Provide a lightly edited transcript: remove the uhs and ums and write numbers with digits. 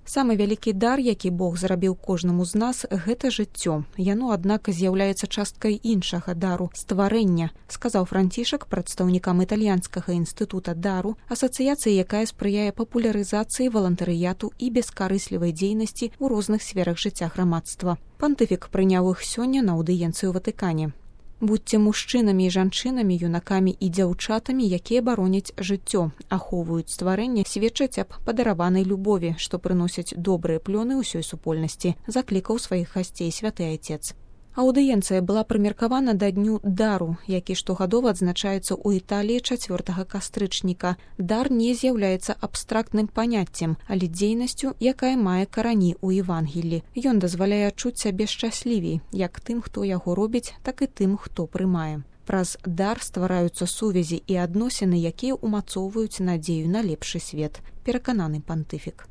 Самы вялікі дар, які Бог зрабіў кожнаму з нас, гэта жыццё. Яно, аднак, з'яўляецца часткай іншага дару стварэння, сказаў Францішак прадстаўнікам італьянскага інстытута дару, асацыяцыі, якая спрыяе папулярызацыі валантарыяту і бескарыслівай дзейнасці ў розных сферах жыцця грамадства. Пантыфік прыняў іх сёння на аўдыенцыі ў Ватыкане. Будьце мужчынамі і жанчынамі, юнакамі і дзяўчатамі, якія бароняць жыццё, ахоўваюць стварэнне, сведчаць аб падараванай любові, што прыносяць добрыя плёны ўсёй супольнасці, заклікаў сваіх гасцей святы айцец. Аўдыенцыя была прымеркавана да дню дару, які штогадова адзначаецца ў Італіі 4 кастрычніка. Дар не з'яўляецца абстрактным паняццем, але дзейнасцю, якая мае карані ў Евангеллі. Ён дазваляе адчуць сябе шчаслівей, як тым, хто яго робіць, так і тым, хто прымае. Праз дар ствараюцца сувязі і адносіны, якія ўмацоўваюць надзею на лепшы свет, перакананы пантыфік.